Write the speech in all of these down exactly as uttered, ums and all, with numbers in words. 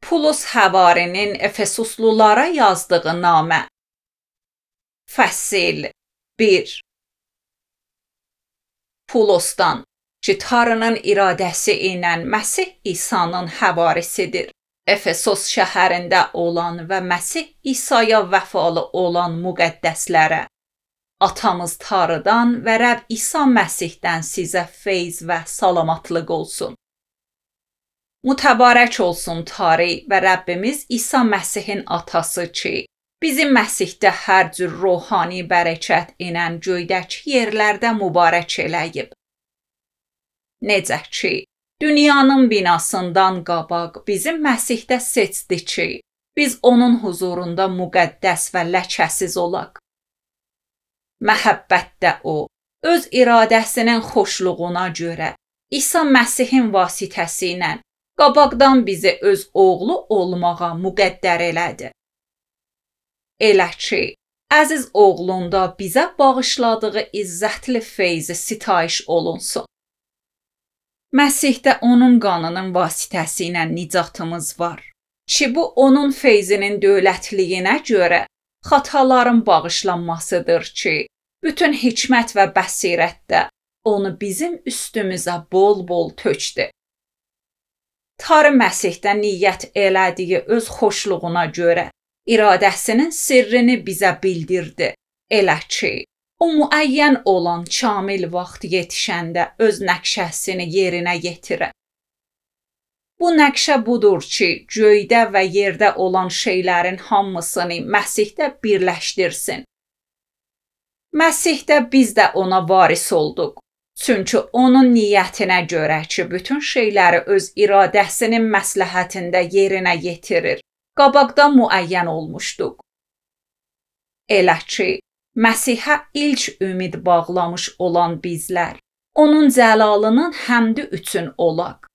Pulus həvarinin Efesuslulara yazdığı namə. Fəsil bir. Pulosdan ki, Tanrının iradəsi ilə Məsih İsa'nın həvarisidir. Efesos şəhərində olan və Məsih İsa'ya vəfalı olan müqəddəslərə, atamız Tanrıdan və Rəbb İsa Məsihdən sizə feyz və salamatlıq olsun. Mütəbarək olsun Tanrı və Rəbbimiz İsa Məsihin atası ki, bizi Məsihdə hər cür ruhani bərəkət ilə göydəki yerlərdə mübarək eləyib. Necə ki, dünyanın binasından qabaq bizi Məsihdə seçdi ki, biz onun huzurunda müqəddəs və ləkəsiz olaq. Məhəbbətdə o, öz iradəsinin xoşluğuna görə İsa Məsihin vasitəsi ilə qabaqdan bizi öz oğlu olmağa müqəddər elədi. Elə ki, əziz oğlunda bizə bağışladığı izzətli feyzi sitayiş olunsun. Məsihdə onun qanının vasitəsi ilə nicatımız var ki, bu onun feyzinin dövlətliyinə görə xataların bağışlanmasıdır ki, bütün hikmət və bəsirətdə onu bizim üstümüzə bol-bol tökdü. Tanrı Məsihdə niyyət elədiyi öz xoşluğuna görə iradəsinin sirrini bizə bildirdi. Elə ki, o müəyyən olan kamil vaxt yetişəndə öz nəqşəsini yerinə yetirə. Bu nəqşə budur ki, göydə və yerdə olan şeylərin hamısını Məsihdə birləşdirsin. Məsihdə biz də ona varis olduq. Çünki onun niyyətinə görə ki, bütün şeyləri öz iradəsinin məsləhətində yerinə yetirir, qabaqdan müəyyən olmuşduq. Elə ki, Məsihə ilk ümid bağlamış olan bizlər, onun cəlalının həmdi üçün olaq.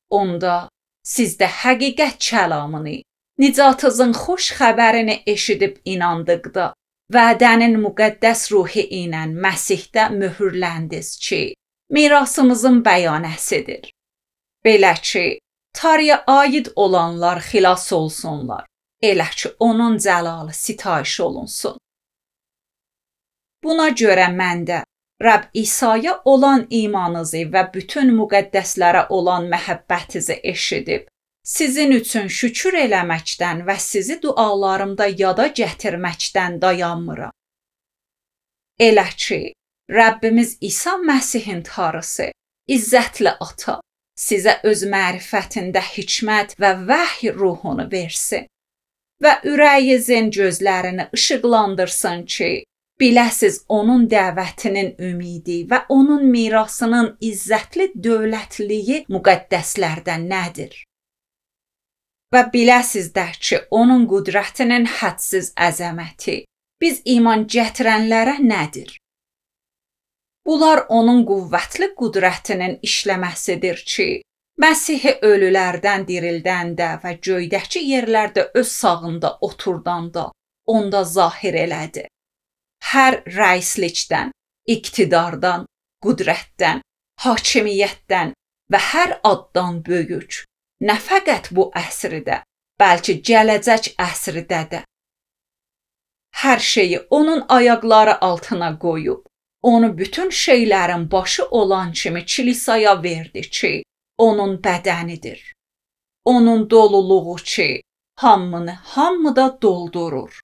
Onda sizdə həqiqət kəlamını, nicatınızın xoş xəbərini eşidib inandıqda, vədənin müqəddəs ruhi ilə Məsihdə möhürləndiniz ki, mirasımızın bəyanəsidir. Belə ki, Tanrıya aid olanlar xilas olsunlar, elə ki, onun cəlalı sitayiş olunsun. Buna görə mən də Rəbb İsa'ya olan imanınızı və bütün müqəddəslərə olan məhəbbətinizi eşidib, sizin üçün şükür eləməkdən və sizi dualarımda yada gətirməkdən dayanmıram. Elə ki, Rəbbimiz İsa Məsihin Tanrısı, izzətli Ata, sizə öz mərifətində hikmət və vəhy ruhunu versin və ürəyinizin gözlərini işıqlandırsın ki, biləsiz onun dəvətinin ümidi və onun mirasının izzətli dövlətliyi müqəddəslərdə nədir? Və biləsiz də ki, onun qüdrətinin hədsiz əzəməti biz iman gətirənlərə nədir? Bunlar onun qüvvətli qüdrətinin işləməsidir ki, Məsihi ölülərdən dirildəndə və göydəki yerlərdə öz sağında oturdanda onda zahir elədi. Hər rəislikdən, iqtidardan, qüdrətdən, hakimiyyətdən və hər addan böyük, nə fəqət bu əsrdə, bəlkə gələcək əsrdə də. Hər şeyi onun ayaqları altına qoyub, onu bütün şeylərin başı olan kimi kilisaya verdi ki, onun bədənidir. Onun doluluğu ki, hamını hamıda doldurur.